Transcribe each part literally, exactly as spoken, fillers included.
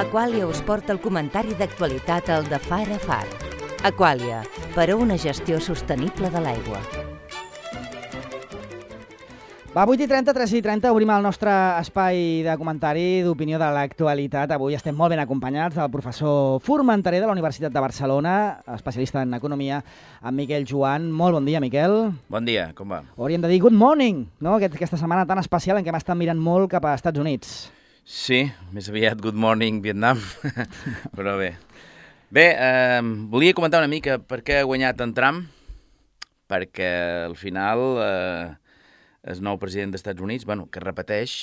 Aqualia us porta el comentari d'actualitat al de Far a Far. Aqualia, per a una gestió sostenible de l'aigua. Va, vuit i trenta, tres i trenta, obrim el nostre espai de comentari d'opinió de l'actualitat. Avui estem molt ben acompanyats del professor Formenterer de la Universitat de Barcelona, especialista en economia, en Miquel Joan. Molt bon dia, Miquel. Bon dia, com va? Hauríem de dir good morning, no? Aquest, aquesta setmana tan especial en què hem estat mirant molt cap a Estats Units. Sí, més aviat good morning Vietnam, però bé. Bé, eh, volia comentar una mica per què ha guanyat en Trump, perquè al final... Eh, el nou president dels Estats Units, bueno, que repeteix,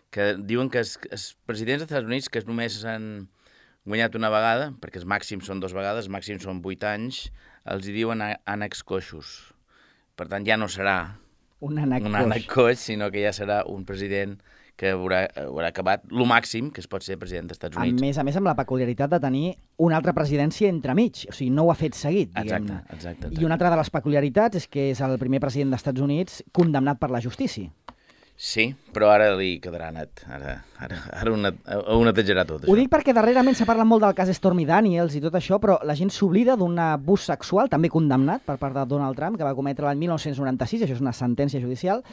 que diuen que els, els presidents dels Estats Units que només han guanyat una vegada, perquè els màxims són dues vegades, els màxims són vuit anys, els hi diuen ànecs coixos. Per tant, ja no serà un ànec, un ànec coix, sinó que ja serà un president que haurà, haurà acabat el màxim que es pot ser president dels Estats Units. A més a més, amb la peculiaritat de tenir una altra presidència entremig. O sigui, no ho ha fet seguit, diguem-ne. Exacte, exacte, exacte. I una altra de les peculiaritats és que és el primer president dels Estats Units condemnat per la justícia. Sí, però ara li quedarà net. Ara, ara, ara una, ho netejarà tot, això. Ho dic perquè darrerament s'ha parlat molt del cas Stormy Daniels i tot això, però la gent s'oblida d'un abús sexual, també condemnat per part de Donald Trump, que va cometre l'any mil nou-cents noranta-sis, això és una sentència judicial,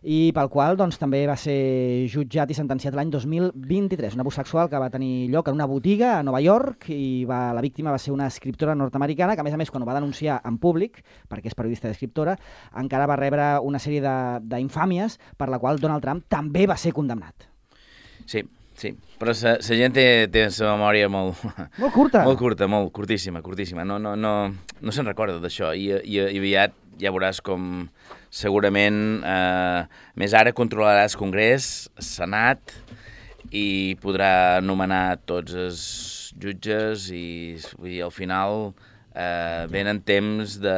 i pel qual doncs, també va ser jutjat i sentenciat l'any dos mil vint-i-tres. Un abús sexual que va tenir lloc en una botiga a Nova York i va, la víctima va ser una escriptora nord-americana que, a més a més, quan ho va denunciar en públic, perquè és periodista d'escriptora, encara va rebre una sèrie d'infàmies per la qual Donald Trump també va ser condemnat. Sí, sí, però la gent té, té la memòria molt... Molt curta. Molt curta, molt curtíssima, curtíssima. No, no, no, no se'n recorda d'això i, i, i aviat ja veuràs com segurament, eh, més ara controlarà el Congrés, el Senat, i podrà nomenar tots els jutges i, i al final eh, venen temps de...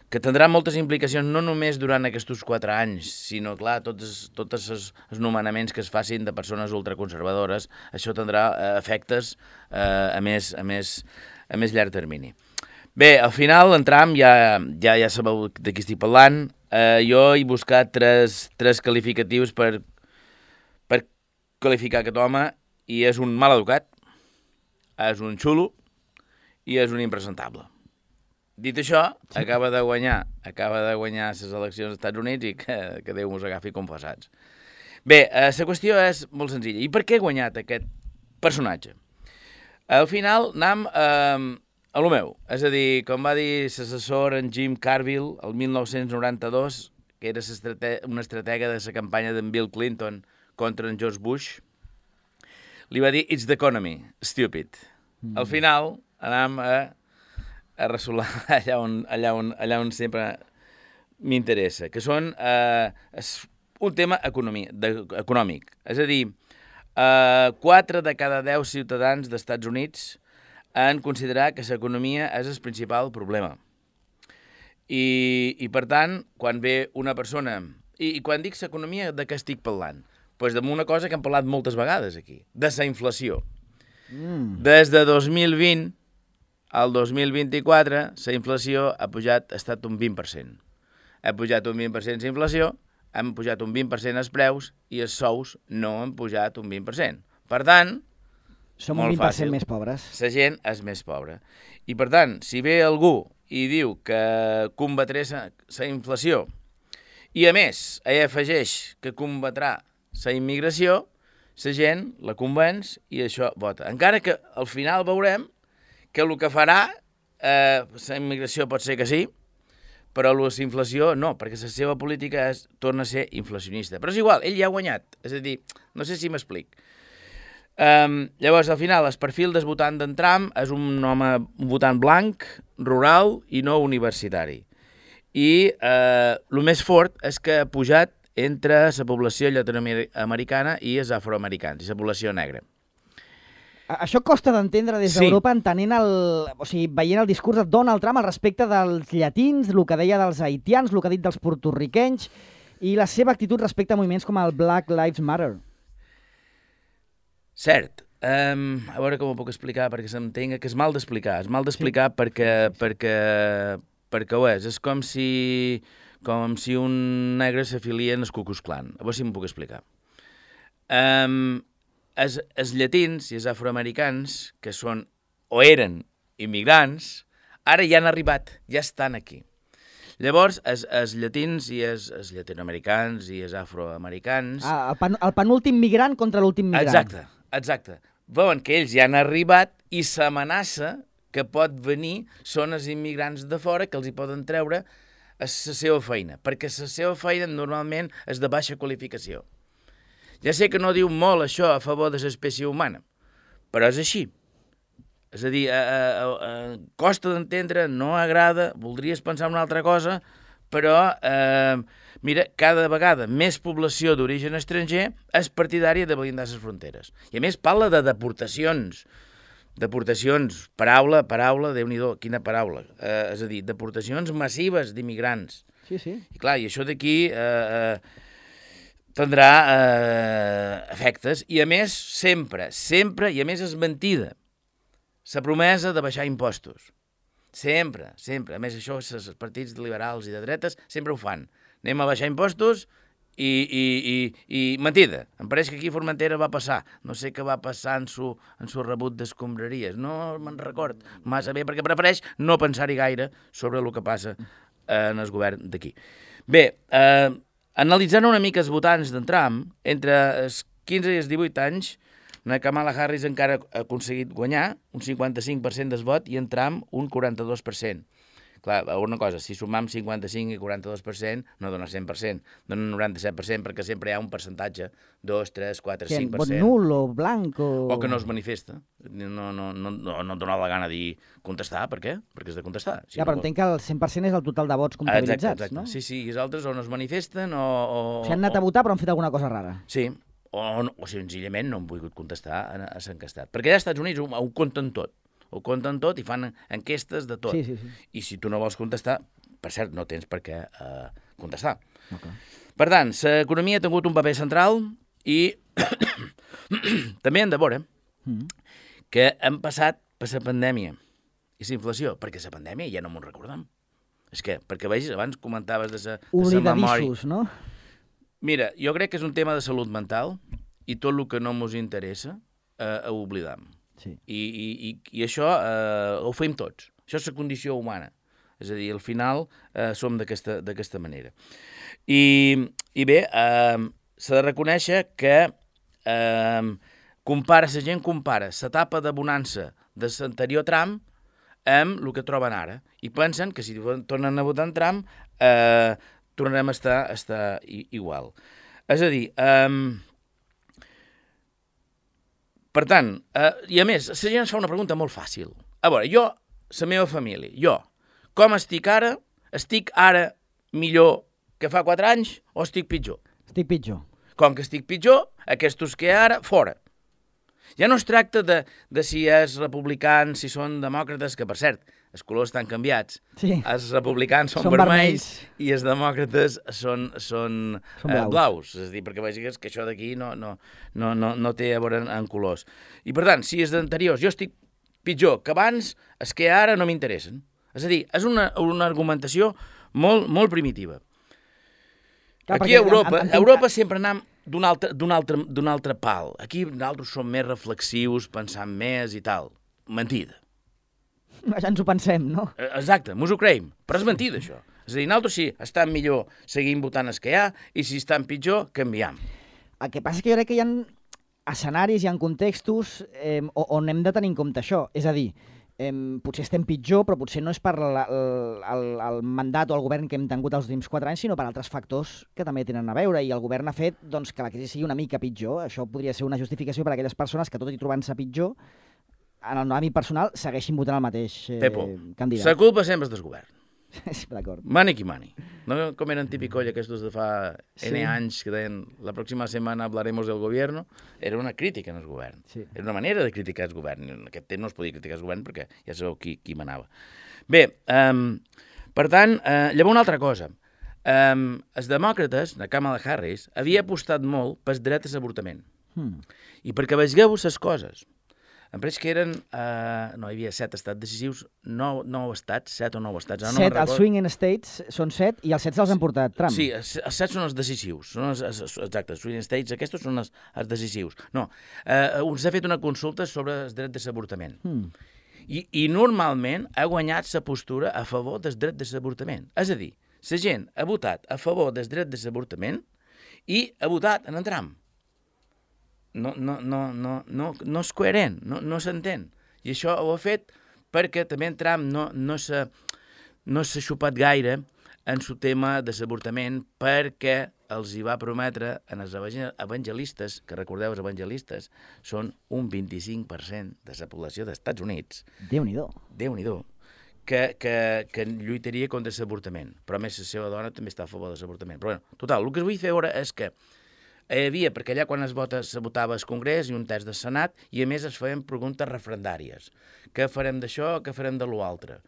que tindrà moltes implicacions no només durant aquests quatre anys, sinó, clar, tots, tots els, els nomenaments que es facin de persones ultraconservadores, això tindrà eh, efectes eh, a, més, a, més, a més llarg termini. Bé, al final, en Trump, ja, ja, ja sabeu de qui estic parlant, eh, jo he buscat tres, tres qualificatius per, per qualificar aquest home, i és un mal educat, és un xulo i és un impresentable. Dit això, acaba de guanyar, acaba de guanyar les eleccions als Estats Units i que, que Déu mos agafi confessats. Bé, eh, la qüestió és molt senzilla. I per què ha guanyat aquest personatge? Al final, anem eh, a lo meu. És a dir, com va dir l'assessor en Jim Carville el mil nou-cents noranta-dos, que era una estratega de la campanya d'en Bill Clinton contra en George Bush, li va dir "It's the economy, stupid". Mm. Al final, anem a a ressolar allà on, allà on, allà on sempre m'interessa, que són eh, un tema economia, de, econòmic. És a dir, eh, quatre de cada deu ciutadans dels Estats Units han considerat que l'economia és el principal problema. I, i per tant, quan ve una persona... I, i quan dic l'economia, de què estic parlant? Doncs d'una cosa que hem parlat moltes vegades aquí, de la inflació. Mm. Des de dos mil vint al dos mil vint-i-quatre, la inflació ha pujat, ha estat un vint per cent. Ha pujat un vint per cent la inflació, han pujat un vint per cent els preus i els sous no han pujat un vint per cent. Per tant, som un vint per cent més pobres. La gent és més pobra. I per tant, si ve algú i diu que combatré la inflació i a més ell afegeix que combatrà la immigració, la gent la convenç i això vota. Encara que al final veurem que el que farà, eh, la immigració pot ser que sí, però la inflació no, perquè la seva política és, torna a ser inflacionista. Però és igual, ell ja ha guanyat. És a dir, no sé si m'explic. Um, llavors, al final, el perfil del votant d'en Trump és un home, un votant blanc, rural i no universitari. I eh, el més fort és que ha pujat entre la població llatinoamericana i els afroamericans, i la població negra. Això costa d'entendre des d'Europa, sí. entenent el, o sigui, veient el discurs de Donald Trump al respecte dels llatins, el que deia dels haitians, el que ha dit dels porto-riquenys i la seva actitud respecte a moviments com el Black Lives Matter. Cert. Um, a veure com ho puc explicar perquè s'entenga que és mal d'explicar. És mal d'explicar sí. perquè, perquè, perquè ho és. És com si, com si un negre s'afilia en el Ku Klux Klan. A veure si m'ho puc explicar. Um, els, els llatins i els afroamericans, que són o eren immigrants, ara ja han arribat, ja estan aquí. Llavors, els, els llatins i els, els llatinoamericans i els afroamericans... Ah, el, pen, el penúltim migrant contra l'últim migrant. Exacte, exacte. Veuen que ells ja han arribat i s'amenaça que pot venir són els immigrants de fora que els hi poden treure a la seva feina, perquè la seva feina normalment és de baixa qualificació. Ja sé que no diu molt això a favor de l'espècie humana, però és així. És a dir, a, a, a, costa d'entendre, no agrada, voldries pensar una altra cosa, però, eh, mira, cada vegada més població d'origen estranger és partidària de blindar les fronteres. I a més parla de deportacions, deportacions, paraula, paraula, Déu-n'hi-do, quina paraula. Eh, és a dir, deportacions massives d'immigrants. Sí, sí. I clar, i això d'aquí eh, eh, tindrà eh, efectes, i a més, sempre, sempre, i a més és mentida, la promesa de baixar impostos. Sempre, sempre. A més, això, els partits liberals i de dretes sempre ho fan. Anem a baixar impostos i, i, i, i mentida. Em pareix que aquí a Formentera va passar. No sé què va passar en su, en su rebut d'escombraries. No me'n record massa bé, perquè prefereix no pensar-hi gaire sobre el que passa en el govern d'aquí. Bé, eh, analitzant una mica els votants d'en Trump, entre els quinze i els divuit anys, la Kamala Harris encara ha aconseguit guanyar un cinquanta-cinc per cent del vot i en Trump un quaranta-dos per cent. Clar, una cosa, si sumam cinquanta-cinc i quaranta-dos per cent, no dona cent per cent, dona noranta-set per cent, perquè sempre hi ha un percentatge, dos, tres, quatre, cinc per cent. Vot nul o blanc o... O que no es manifesta. No, no, no, no, no et dona la gana de dir contestar, per què? Perquè has de contestar. Si ja, no però vol... entenc que el cent per cent és el total de vots comptabilitzats, exacte, exacte. no? Sí, sí, i els altres o no es manifesten o... o... O sigui, han anat a votar però han fet alguna cosa rara. Sí, o, no, o senzillament no han volgut contestar a, a s'encastat. Perquè allà als Estats Units ho, ho compten tot. Ho compten tot i fan enquestes de tot. Sí, sí, sí. I si tu no vols contestar, per cert, no tens per què eh, contestar. Okay. Per tant, l'economia ha tingut un paper central i també hem de veure mm. que hem passat per la pandèmia i la inflació, perquè la pandèmia ja no m'ho recordem. És que, perquè vegis, abans comentaves de la memòria... Oblidadissos, no? Mira, jo crec que és un tema de salut mental i tot el que no ens interessa eh, ho oblidam. Sí. I, i, i, i això eh, ho fem tots. Això és la condició humana. És a dir, al final eh, som d'aquesta manera. I, i bé, eh, s'ha de reconèixer que eh, compara, la gent compara l'etapa de bonança de l'anterior tram amb el que troben ara. I pensen que si tornen a votar en Trump eh, tornarem a estar, a estar igual. És a dir, eh, per tant, eh, i a més, la gent ens fa una pregunta molt fàcil. A veure, jo, la meva família, jo, com estic ara? Estic ara millor que fa quatre anys o estic pitjor? Estic pitjor. Com que estic pitjor, aquests que ara, fora. Ja no es tracta de, de si és republicans, si són demòcrates, que per cert, els colors estan canviats. Sí. Els republicans són, són vermells, vermells i els demòcrates són, són, són eh, blaus. blaus. És a dir, perquè vegis que això d'aquí no, no, no, no, no té a veure en, en colors. I per tant, si és d'anteriors, jo estic pitjor que abans, és que ara no m'interessen. És a dir, és una, una argumentació molt, molt primitiva. Clar, aquí a Europa, a Europa sempre anem d'un altre, d'un altre, d'un altre pal. Aquí nosaltres som més reflexius, pensant més i tal. Mentida. Ja ens ho pensem, no? Exacte, mos ho creiem, però és mentida, això. És a dir, nosaltres sí, estan millor, seguim votant els que hi ha, i si estan pitjor, canviem. El que passa és que jo crec que hi ha escenaris, hi ha contextos eh, on hem de tenir en compte això. És a dir, eh, potser estem pitjor, però potser no és per la, el, el, el mandat o el govern que hem tingut els últims quatre anys, sinó per altres factors que també tenen a veure, i el govern ha fet doncs, que la crisi sigui una mica pitjor. Això podria ser una justificació per a aquelles persones que, tot i trobant-se pitjor, en el àmbit personal, segueixin votant el mateix eh, Pepo, candidat. la culpa sempre és del govern. Sí, d'acord. Mani qui mani. No com eren típicoll aquests de fa N Sí. anys que deien la pròxima setmana hablaremos del gobierno. Era una crítica en el govern. Sí. Era una manera de criticar el govern. En aquest temps no es podia criticar el govern perquè ja sabeu qui, qui manava. Bé, um, per tant, uh, llavors una altra cosa. Um, els demòcrates, la Kamala Harris, havia apostat molt pel dret a l'avortament. Hmm. I perquè vegeu les coses. em pareix que eren, uh, no, hi havia set estats decisius, nou, nou estats, set o nou estats. Set, no els swing states són set i els set se'ls han portat Trump. Sí, els, els set són els decisius, són els, exacte, els swing states, aquests són els, els decisius. No, uh, s'ha fet una consulta sobre el dret de l'avortament. Hmm. I, I normalment ha guanyat la postura a favor del dret de l'avortament. És a dir, la gent ha votat a favor del dret de l'avortament i ha votat en Trump. No, no, no, no, no, no és coherent, no, no s'entén. I això ho ha fet perquè també en Trump no, no s'ha no s'ha xupat gaire en el tema de l'avortament perquè els hi va prometre en els evangelistes, que recordeu, els evangelistes són un vint-i-cinc per cent de la població dels Estats Units. Déu-n'hi-do. Déu-n'hi-do. Que, que, que lluitaria contra l'avortament. Però a més la seva dona també està a favor de l'avortament. Però bueno, total, el que vull fer ara és que hi havia, perquè allà quan es vota, se votava al Congrés i un terç del Senat, i a més es feien preguntes referendàries. Què farem d'això, què farem de l'altre?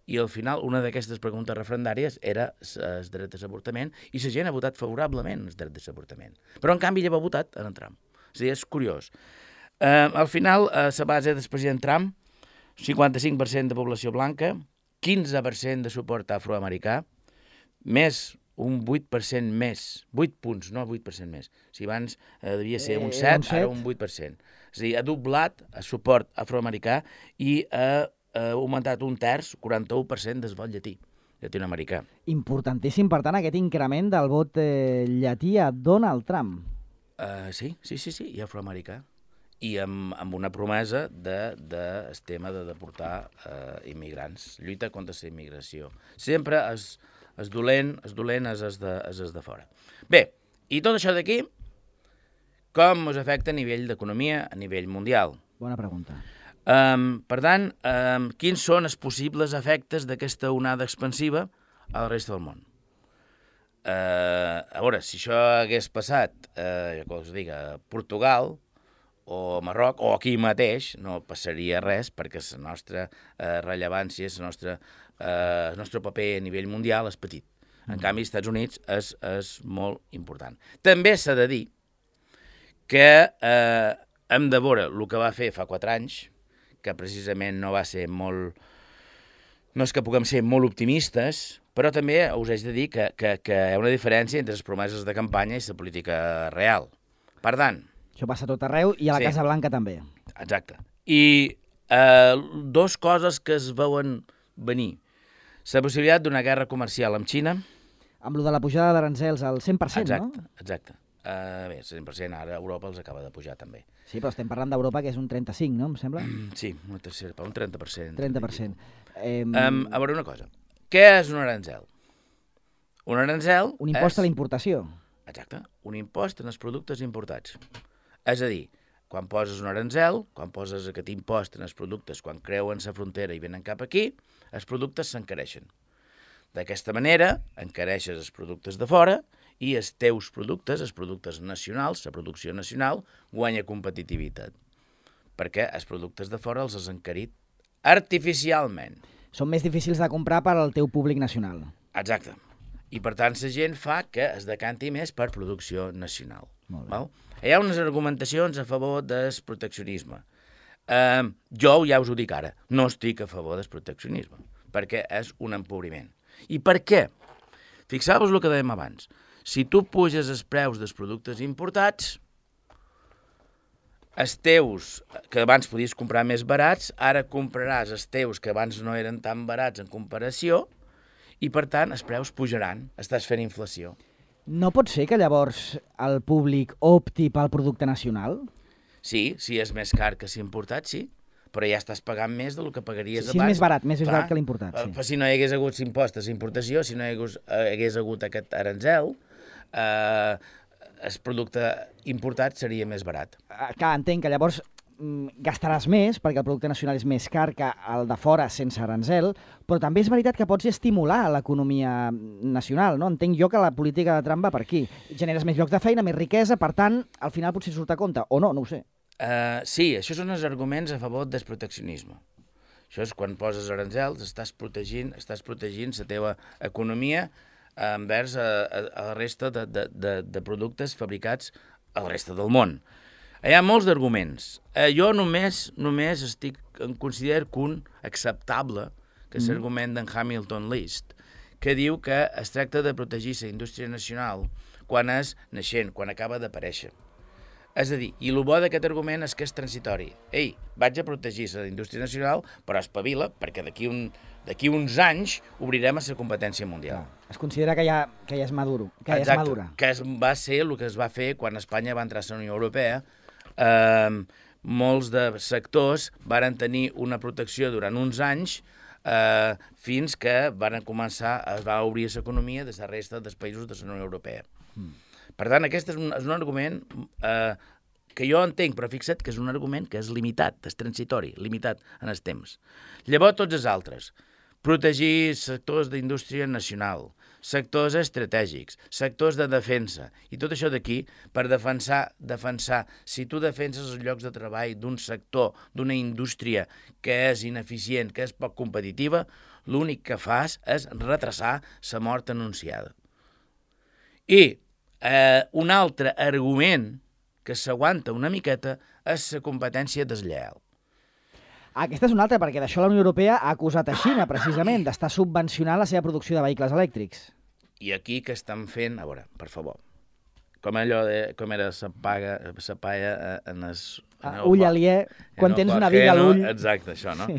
I al final una d'aquestes preguntes referendàries era el dret de l'avortament, i la gent ha votat favorablement el dret de l'avortament. Però en canvi ella va votat en Trump. És a dir, és curiós. Uh, al final, a la base del president Trump, cinquanta-cinc per cent de població blanca, quinze per cent de suport afroamericà, més un vuit per cent més, vuit punts, no vuit per cent més. Si abans eh, devia ser un set, eh, ara un vuit per cent. És a dir, ha doblat el suport afroamericà i ha, ha augmentat un terç, quaranta-u per cent del vot llatí, llatinoamericà. Importantíssim, per tant, aquest increment del vot eh, llatí a Donald Trump. Uh, sí, sí, sí, sí, i afroamericà. I amb, amb una promesa de, de el tema de deportar uh, immigrants, lluita contra la immigració. Sempre és és dolent, és dolent, és es de, és es de fora. Bé, i tot això d'aquí, com us afecta a nivell d'economia, a nivell mundial? Bona pregunta. Um, per tant, um, quins són els possibles efectes d'aquesta onada expansiva a la resta del món? Uh, a veure, si això hagués passat, uh, com us dic, a Portugal, o Marroc, o aquí mateix, no passaria res, perquè la nostra eh, rellevància, la nostra, eh, el nostre paper a nivell mundial és petit. En canvi, als Estats Units és, és molt important. També s'ha de dir que eh, hem de veure el que va fer fa quatre anys, que precisament no va ser molt... No és que puguem ser molt optimistes, però també us haig de dir que, que, que hi ha una diferència entre les promeses de campanya i la política real. Per tant... Això passa tot arreu i a la sí. Casa Blanca també. Exacte. I eh, dos coses que es veuen venir. La possibilitat d'una guerra comercial amb Xina. Amb lo de la pujada d'arancels al cent per cent, exacte, no? Exacte. Uh, bé, cent per cent ara Europa els acaba de pujar també. Sí, però estem parlant d'Europa, que és un trenta-cinc, no? Em sembla? Sí, una tercera, un trenta per cent. trenta per cent. Eh... Um, a veure una cosa. Què és un arancel? Un arancel Un impost és... a la importació. Exacte. Un impost en els productes importats. És a dir, quan poses un arancel, quan poses aquest impost en els productes, quan creuen la frontera i venen cap aquí, els productes s'encareixen. D'aquesta manera, encareixes els productes de fora i els teus productes, els productes nacionals, la producció nacional, guanya competitivitat. Perquè els productes de fora els has encarit artificialment. Són més difícils de comprar per al teu públic nacional. Exacte. I per tant, la gent fa que es decanti més per producció nacional. Molt bé. Val? Hi ha unes argumentacions a favor del proteccionisme. Uh, jo ja us ho dic ara, no estic a favor del proteccionisme, perquè és un empobriment. I per què? Fixeu-vos el que dèiem abans. Si tu puges els preus dels productes importats, els teus, que abans podies comprar més barats, ara compraràs els teus que abans no eren tan barats en comparació, i per tant els preus pujaran, estàs fent inflació. No pot ser que llavors el públic opti pel producte nacional? Sí, si és més car que si importat, sí, però ja estàs pagant més del que pagaries sí, abans. Sí, és més barat, més, més barat que l'importat. Sí. Però si no hi hagués hagut impost a importació, si no hi hagués, hagués hagut aquest arancel, eh, el producte importat seria més barat. Ah, clar, entenc que llavors gastaràs més, perquè el producte nacional és més car que el de fora sense arancel, però també és veritat que pots estimular l'economia nacional, no? Entenc jo que la política de Trump va per aquí. Generes més llocs de feina, més riquesa, per tant, al final potser surt a compte, o no, no ho sé. Uh, sí, això són els arguments a favor del proteccionisme. Això és quan poses arancels, estàs protegint, estàs protegint la teva economia envers a, a, a la resta de, de, de, de productes fabricats a la resta del món. Hi ha molts d'arguments. Eh, jo només només estic en considero que un acceptable, que és Mm. l'argument d'en Hamilton List, que diu que es tracta de protegir la indústria nacional quan és naixent, quan acaba d'aparèixer. És a dir, i el bo d'aquest argument és que és transitori. Ei, vaig a protegir la indústria nacional, però espavila, perquè d'aquí un, d'aquí uns anys obrirem a la competència mundial. Clar. Es considera que ja, que ja és maduro, que ja és Exacte, madura. que es, va ser el que es va fer quan Espanya va entrar a la Unió Europea. Eh, molts de sectors varen tenir una protecció durant uns anys eh, fins que varen començar, es va obrir l'economia de la resta dels països de la Unió Europea. Mm. Per tant, aquest és un, és un argument eh, que jo entenc, però fixa't que és un argument que és limitat, és transitori, limitat en els temps. Llavors, tots els altres. Protegir sectors d'indústria nacional, sectors estratègics, sectors de defensa, i tot això d'aquí per defensar, defensar, si tu defenses els llocs de treball d'un sector, d'una indústria que és ineficient, que és poc competitiva, l'únic que fas és retrasar la mort anunciada. I eh, un altre argument que s'aguanta una miqueta és la competència deslleial. Aquesta és una altra, perquè d'això la Unió Europea ha acusat a Xina, precisament, d'estar subvencionant la seva producció de vehicles elèctrics. I aquí que estan fent, a veure, per favor, com allò de, com era la paga, la paia en el... Uh, ull aliè, quan tens una viga a l'ull... Exacte, això, no? Sí.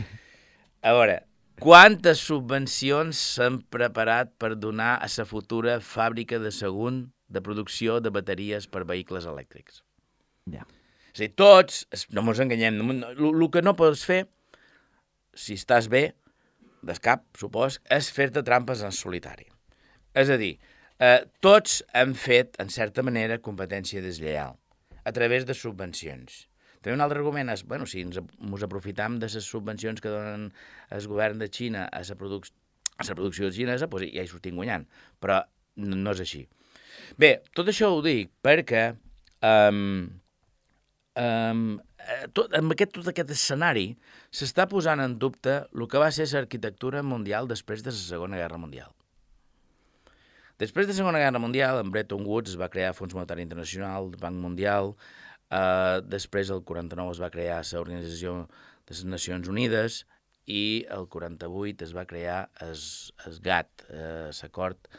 A veure, quantes subvencions s'han preparat per donar a la futura fàbrica de Sagunt de producció de bateries per vehicles elèctrics? Ja. És a dir, tots, no ens enganyem, el que no pots fer, si estàs bé, des cap, supos, és fer-te trampes en solitari. És a dir, eh, tots hem fet, en certa manera, competència deslleial, a través de subvencions. També un altre argument és, bueno, si ens, ens aprofitam de les subvencions que donen el govern de Xina a la, produc a la producció xinesa, doncs ja hi sortim guanyant, però no, no és així. Bé, tot això ho dic perquè um, um, tot, amb aquest, tot aquest escenari s'està posant en dubte el que va ser l'arquitectura mundial després de la Segona Guerra Mundial. Després de la Segona Guerra Mundial, en Bretton Woods es va crear el Fons Monetari Internacional, el Banc Mundial, eh, després el quaranta-nou es va crear l'Organització de les Nacions Unides i el quaranta-vuit es va crear el GATT, eh, l'Acord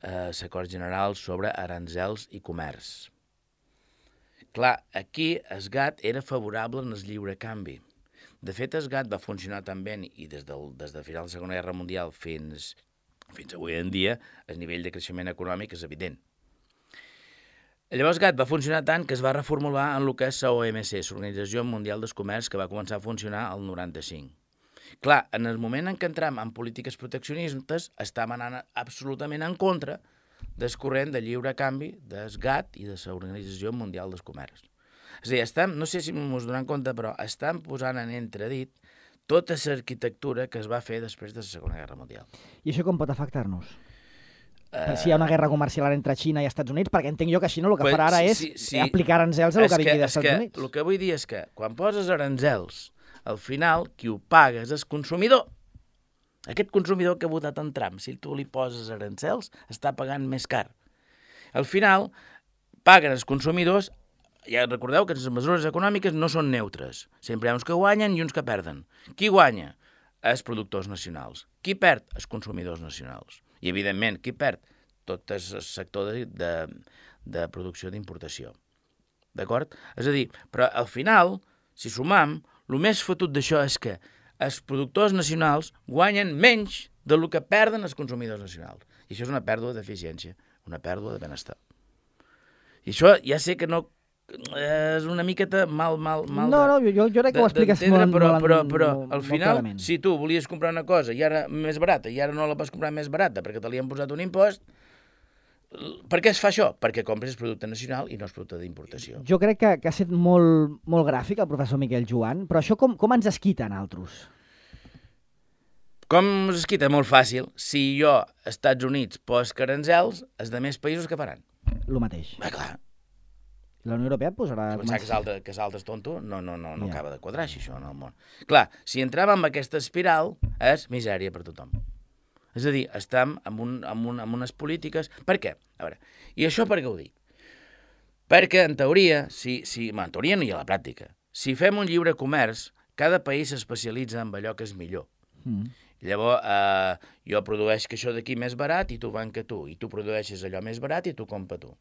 eh, l'Acord General sobre Aranzels i Comerç. Clar, aquí el GATT era favorable en el lliure canvi. De fet, el GATT va funcionar tan bé i des, del, des de final de la Segona Guerra Mundial fins, fins avui en dia, el nivell de creixement econòmic és evident. Llavors, GATT va funcionar tant que es va reformular en el que és l'O M C, l'Organització Mundial del Comerç, que va començar a funcionar el noranta-cinc. Clar, en el moment en què entram en polítiques proteccionistes, estàvem anant absolutament en contra del corrent de lliure canvi del GATT i de l'Organització Mundial del Comerç. És a dir, estem, no sé si ens donem compte, però estem posant en entredit tota l'arquitectura que es va fer després de la Segona Guerra Mundial. I això com pot afectar-nos? Uh, si hi ha una guerra comercial entre Xina i Estats Units, perquè entenc jo que Xina el que pues, farà ara sí, és sí, sí. aplicar aranzels a el que vingui dels Estats que, Units. El que vull dir és que quan poses aranzels, al final qui ho paga és el consumidor. Aquest consumidor que ha votat en Trump, si tu li poses aranzels, està pagant més car. Al final, paguen els consumidors. Ja recordeu que les mesures econòmiques no són neutres. Sempre hi ha uns que guanyen i uns que perden. Qui guanya? Els productors nacionals. Qui perd? Els consumidors nacionals. I, evidentment, qui perd? Tot el sector de, de, de producció d'importació. D'acord? És a dir, però al final, si sumam, el més fotut d'això és que els productors nacionals guanyen menys del que perden els consumidors nacionals. I això és una pèrdua d'eficiència, una pèrdua de benestar. I això ja sé que no és una miqueta mal, mal, mal no, de... No, jo, jo crec que ho expliques molt, però, molt, però, però molt, al final, clarament. Si tu volies comprar una cosa i ara més barata, i ara no la pots comprar més barata perquè te li han posat un impost, per què es fa això? Perquè compres producte nacional i no és producte d'importació. Jo crec que, que ha estat molt, molt gràfic el professor Miquel Joan, però això com, com ens esquita a nosaltres? Com us esquita? Molt fàcil. Si jo, als Estats Units, poso aranzels, els de més països què faran? El mateix. Bé, clar. La Unió Europea posarà... Pensar que l'altre que és tonto no, no, no, no yeah. acaba de quadrar així, això, en el món. Clar, si entrem en aquesta espiral, és misèria per tothom. És a dir, estem amb, un, amb, un, amb unes polítiques... Per què? A veure, i això per què ho dic? Perquè, en teoria, si, si, en teoria no hi ha la pràctica, si fem un lliure comerç, cada país s'especialitza en allò que és millor. Mm. Llavors, eh, jo produeixo això d'aquí més barat i tu van que tu, i tu produeixes allò més barat i tu compra tu.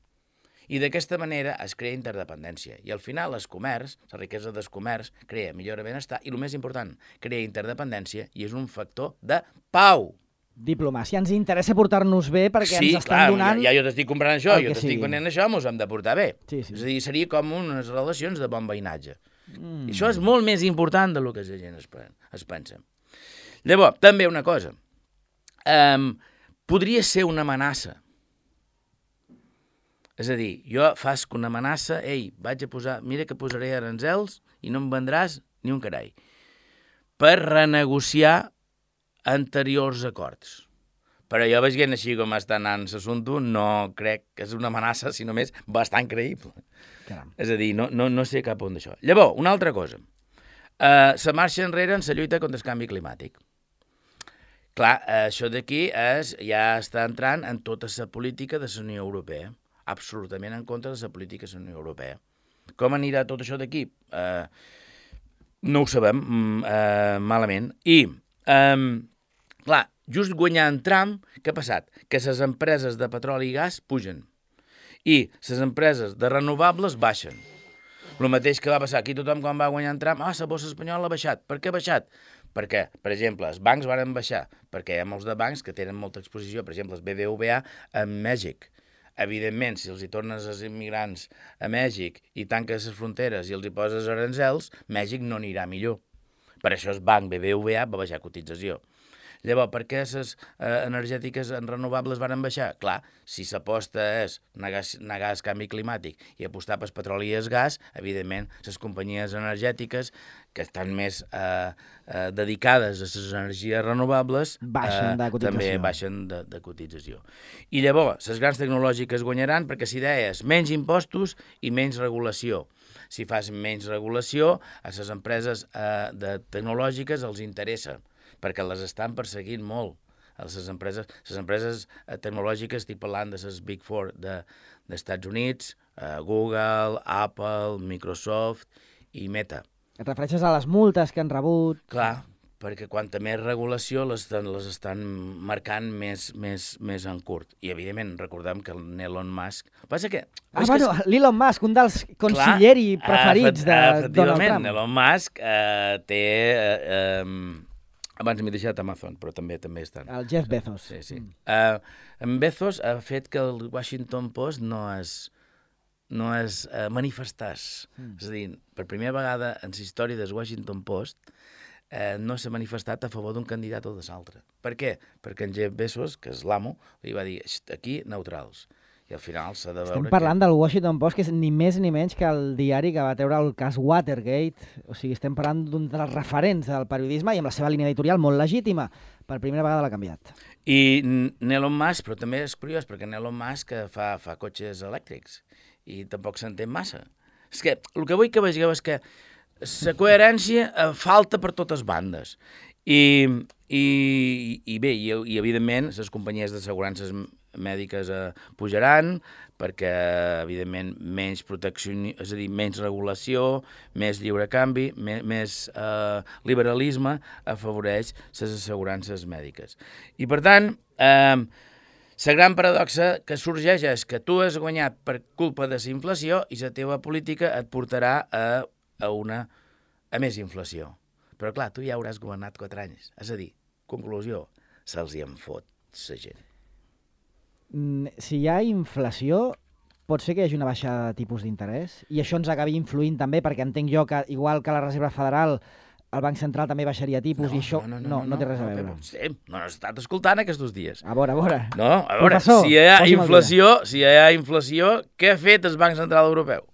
I d'aquesta manera es crea interdependència. I al final, el comerç, la riquesa del comerç, crea millor benestar i, el més important, crea interdependència i és un factor de pau. Diplomàcia. Ens interessa portar-nos bé perquè sí, ens estan clar, donant... Ja, ja jo t'estic comprant això, jo t'estic venent això, ens hem de portar bé. Sí, sí. És a dir, seria com unes relacions de bon veïnatge. Mm. I això és molt més important del que la gent es, es pensa. Llavors, també una cosa. Um, podria ser una amenaça. És a dir, jo faig una amenaça, ei, vaig a posar, mira que posaré aranzels i no em vendràs ni un carai. Per renegociar anteriors acords. Però jo veient així com està anant l'assumpte, no crec que és una amenaça, sinó més bastant creïble. Caram. És a dir, no, no, no sé cap on d'això. Llavors, una altra cosa. Uh, se marxa enrere en la lluita contra el canvi climàtic. Clar, això d'aquí és, ja està entrant en tota la política de la Unió Europea. Absolutament en contra de la política de la Unió Europea. Com anirà tot això d'aquí? Uh, no ho sabem, uh, malament. I... Um, Clar, just guanyant Trump, què ha passat? Que les empreses de petroli i gas pugen i les empreses de renovables baixen. El mateix que va passar aquí tothom quan va guanyar Trump, ah, la borsa espanyola ha baixat. Per què ha baixat? Perquè, per exemple, els bancs van baixar, perquè hi ha molts de bancs que tenen molta exposició, per exemple, els B B V A a Mèxic. Evidentment, si els hi tornes els immigrants a Mèxic i tanques les fronteres i els hi poses aranzels, Mèxic no anirà millor. Per això el banc B B V A va baixar cotització. Llavors, per què les eh, energètiques en renovables van baixar? Clar, si s'aposta és negar, negar el canvi climàtic i apostar pel petroli i el gas, evidentment, les companyies energètiques que estan més eh, eh, dedicades a les energies renovables baixen de eh, també baixen de, de cotització. I llavors, les grans tecnològiques guanyaran perquè si deies menys impostos i menys regulació. Si fas menys regulació, a les empreses eh, de tecnològiques els interessa, perquè les estan perseguint molt. Les empreses, les empreses tecnològiques, estic parlant de les Big Four de, dels Estats Units, eh, Google, Apple, Microsoft i Meta. Et refereixes a les multes que han rebut? Clar, perquè quanta més regulació les, les estan marcant més, més, més en curt. I, evidentment, recordem que Elon Musk... Passa que... Ah, bueno, que... l'Elon Musk, un dels consiglieri clar, preferits de Donald Trump. Elon Musk eh, té... Eh, eh, abans m'he deixat Amazon, però també també estan. El Jeff Bezos. Sí, sí. Mm. Uh, en Bezos ha fet que el Washington Post no es, no es uh, manifestàs. Mm. És a dir, per primera vegada en la història del Washington Post uh, no s'ha manifestat a favor d'un candidat o de l'altre. Per què? Perquè en Jeff Bezos, que és l'amo, li va dir, aquí neutrals. I al final s'ha de veure... Estem parlant que... del Washington Post, que és ni més ni menys que el diari que va treure el cas Watergate. O sigui, estem parlant d'un dels referents del periodisme i amb la seva línia editorial molt legítima. Per primera vegada l'ha canviat. I Elon Musk, però també és curiós, perquè Elon Musk fa, fa cotxes elèctrics i tampoc s'entén massa. És que el que vull que vegeu és que la coherència falta per totes bandes. I, i, i bé, i, i evidentment, les companyies d'assegurances mèdiques eh, pujaran perquè, evidentment, menys protecció, és a dir, menys regulació, més lliure canvi, més, més eh, liberalisme afavoreix les assegurances mèdiques. I, per tant, eh, la gran paradoxa que sorgeix és que tu has guanyat per culpa de la inflació i la teva política et portarà a, a, una, a més inflació. Però, clar, tu ja hauràs governat quatre anys. És a dir, conclusió, se'ls hi en fot la gent. Si hi ha inflació, pot ser que hi hagi una baixada de tipus d'interès i això ens acabi influint també, perquè entenc jo que, igual que la Reserva Federal, el Banc Central també baixaria tipus no, i això no, no, no, no, no té res no, a veure. No, no, no has estat escoltant aquests dies. A veure, a veure. No, a veure, Professor, si hi ha inflació, si hi ha inflació, què ha fet el Banc Central Europeu?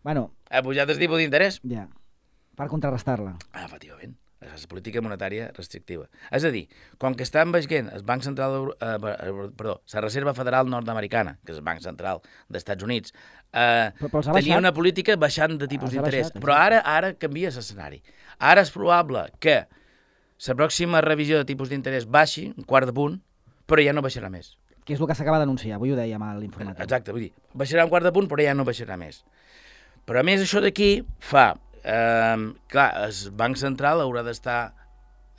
Bueno, ha pujat el tipus d'interès? Ja, per contrarrestar-la. Ah, efectivament. És la política monetària restrictiva. És a dir, com que estan veient el Banc Central, eh, perdó, la Reserva Federal Nord-Americana, que és el Banc Central dels Estats Units, eh, tenia una política baixant de tipus d'interès, però ara ara canvia l'escenari. Ara és probable que la pròxima revisió de tipus d'interès baixi, un quart de punt, però ja no baixarà més. que és el que s'acaba d'anunciar, avui ho dèiem a l'informatiu. Exacte, vull dir, baixarà un quart de punt, però ja no baixarà més. Però a més això d'aquí fa, eh, clar, el Banc Central haurà d'estar,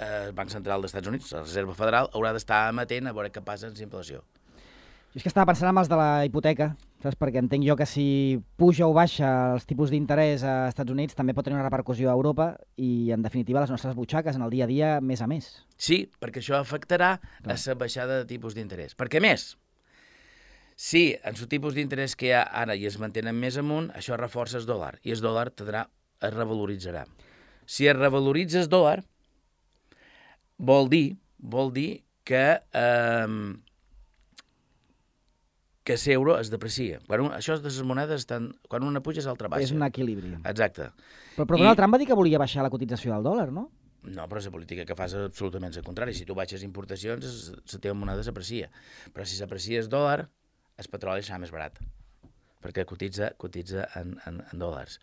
eh, el Banc Central dels Estats Units, la Reserva Federal, haurà d'estar amatent a veure què passa amb la inflació. Jo és que estava pensant en els de la hipoteca, saps? Perquè entenc jo que si puja o baixa els tipus d'interès a Estats Units també pot tenir una repercussió a Europa i, en definitiva, les nostres butxaques en el dia a dia més a més. Sí, perquè això afectarà Clar. a la baixada de tipus d'interès. Perquè més, si en el tipus d'interès que hi ha ara i es mantenen més amunt, això reforça el dòlar i el dòlar tindrà, es revaloritzarà. Si es revaloritza el dòlar, vol dir, vol dir que... Eh, que l'euro es deprecia. Quan un, això de les monedes, estan, quan una puja, l'altra baixa. És un equilibri. Exacte. Però, però Donald I... Trump va dir que volia baixar la cotització del dòlar, no? No, però la política que fas és absolutament el contrari. Si tu baixes importacions, la teva moneda s'aprecia. Però si s'aprecia el dòlar, el petroli serà més barat, perquè cotitza, cotitza en, en, en dòlars.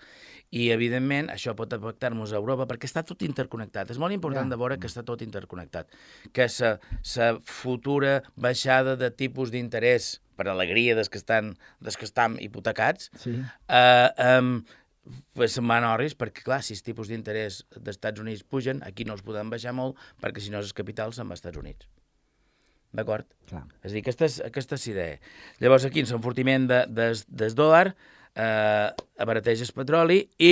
I, evidentment, això pot afectar-nos a Europa perquè està tot interconnectat. És molt important ja. de veure que està tot interconnectat. Que la futura baixada de tipus d'interès per alegria des que estan, des que estan hipotecats, sí. eh, um, pues se'n van orris, perquè, clar, si els tipus d'interès dels Estats Units pugen, aquí no els podem baixar molt, perquè si no els capitals se'n van als Estats Units. D'acord? És a dir, aquesta és, aquesta és idea. Llavors, aquí, l'enfortiment de, des, des dòlar eh, abarateix el petroli i,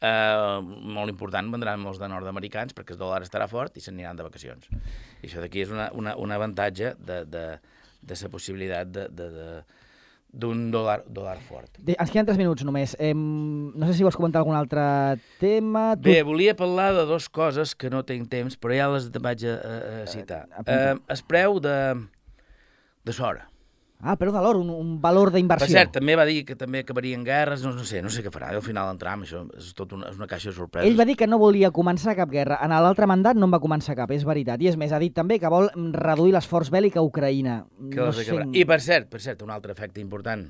eh, molt important, vendran molts de nord-americans perquè el dòlar estarà fort i s'aniran de vacacions. I això d'aquí és una, una, un avantatge de, de, de la possibilitat de, de, de, d'un dòlar, dòlar fort. De, ens queden tres minuts només. Eh, no sé si vols comentar algun altre tema. Tu... Bé, volia parlar de dues coses que no tinc temps, però ja les vaig a, a citar. Eh, eh, el preu de, de Sora. Ah, però de l'or, un, un valor d'inversió. Per cert, també va dir que també acabarien guerres, no, no sé, no sé què farà. Al final en Trump, això és tot una, és una caixa de sorpreses. Ell va dir que no volia començar cap guerra. En l'altre mandat no en va començar cap, és veritat. I és més, ha dit també que vol reduir l'esforç bèl·lic a Ucraïna. No sé... I per cert, per cert, un altre efecte important.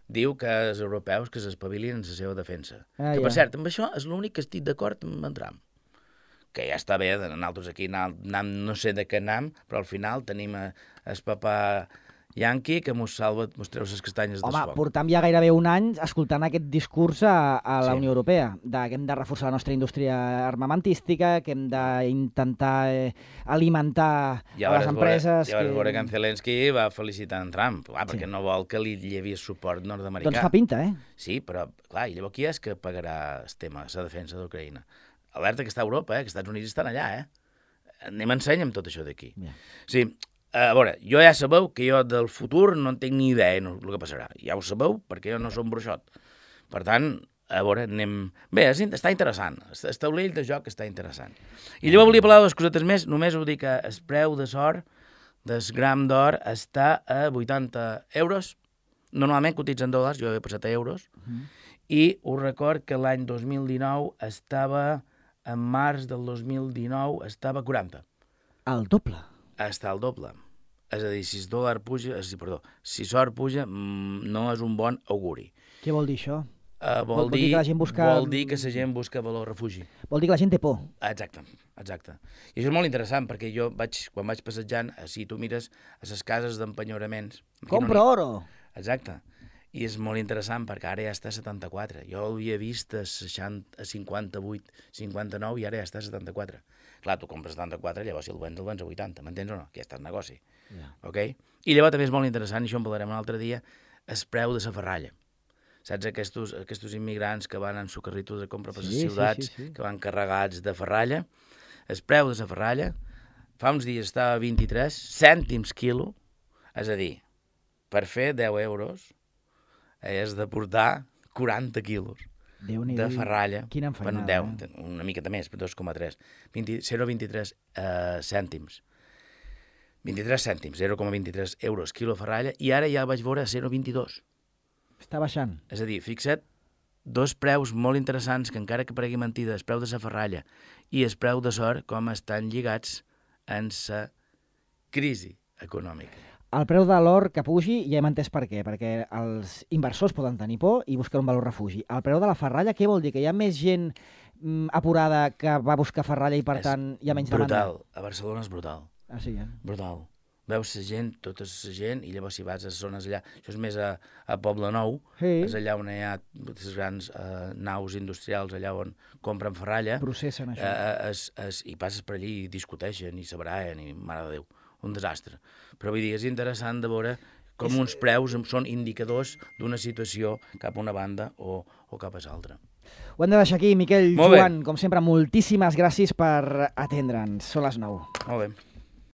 Diu que els europeus que s'espavilin en la seva defensa. Ah, que, per ja. cert, amb això és l'únic que estic d'acord amb en Trump. Que ja està bé, nosaltres aquí anam, no sé de què anam, però al final tenim el papà Yankee que mos salva, mos treu les castanyes del foc. Home, portam ja gairebé un any escoltant aquest discurs a, a la sí. Unió Europea, de que hem de reforçar la nostra indústria armamentística, que hem d'intentar eh, alimentar I a les empreses... I llavors que... veure que en Zelensky va felicitar en Trump, clar, perquè sí. no vol que li llevi el suport nord-americà. Doncs fa pinta, eh? Sí, però, clar, i llavors qui és que pagarà el tema, la defensa d'Ucraïna? Alerta que està a Europa, eh? Que els Estats Units estan allà, eh? Anem ensenya'm tot això d'aquí. Yeah. Sí, a veure, jo ja sabeu que jo del futur no en tinc ni idea del que passarà. Ja ho sabeu, perquè jo no som bruixot. Per tant, a veure, anem... Bé, està interessant. El taulell de joc està interessant. I llavors volia parlar de dues cosetes més. Només ho dic que el preu de l'or, del gram d'or, està a vuitanta euros. Normalment cotitza en dòlars, jo he passat a euros. Uh -huh. I us record que l'any dos mil dinou estava... En març del dos mil dinou estava a quaranta. El doble? Està al doble. És a dir, si el dòlar puja, si, perdó, si l'or puja, no és un bon auguri. Què vol dir això? Uh, vol, vol, dir, dir que la gent busca... vol dir que la gent busca valor refugi. Vol dir que la gent té por. Exacte, exacte. I això és molt interessant, perquè jo vaig, quan vaig passejant, si tu mires a les cases d'empenyoraments... Compra no oro! Exacte. I és molt interessant perquè ara ja està a setanta-quatre. Jo l'havia vist a, seixanta, a cinquanta-vuit, cinquanta-nou i ara ja està a setanta-quatre. Clar, tu compres setanta-quatre, llavors si el vens, el vens a vuitanta, m'entens o no? Que ja està en negoci. Yeah. Okay? I llavors també és molt interessant, i això en parlarem un altre dia, el preu de la ferralla. Saps aquests, aquests immigrants que van en su carrito de compra per les sí, ciutats, sí, sí, sí. que van carregats de ferralla? El preu de la ferralla fa uns dies estava a vint-i-tres cèntims quilo, és a dir, per fer deu euros és de portar quaranta quilos de ferralla. Quina enfeinada. Bueno, deu, una miqueta més, dos coma tres. zero coma vint-i-tres uh, cèntims. vint-i-tres cèntims, zero coma vint-i-tres euros quilo ferralla, i ara ja el vaig veure a zero coma vint-i-dos. Està baixant. És a dir, fixa't, dos preus molt interessants que encara que paregui mentida, el preu de la ferralla i el preu de l'or, com estan lligats en la crisi econòmica. El preu de l'or que pugi ja hem entès per què, perquè els inversors poden tenir por i buscar un valor refugi. El preu de la ferralla, què vol dir? Que hi ha més gent mm, apurada que va buscar ferralla i, per és tant, hi ha menys brutal. demanda? Brutal. A Barcelona és brutal. Ah, sí, eh? Brutal. veus la gent, tota la gent, i llavors si vas a les zones allà, això és més a, a Poble Nou, Sí. és allà on hi ha les grans eh, naus industrials, allà on compren ferralla, Processen això. eh, es, es, i passes per allí i discuteixen, i s'abraen, i mare de Déu, un desastre. Però vull dir, és interessant de veure com És- uns preus són indicadors d'una situació cap a una banda o, o cap a l'altra. Ho hem de deixar aquí, Miquel. Molt bé. Joan, com sempre, moltíssimes gràcies per atendre'ns. Són les nou. Molt bé.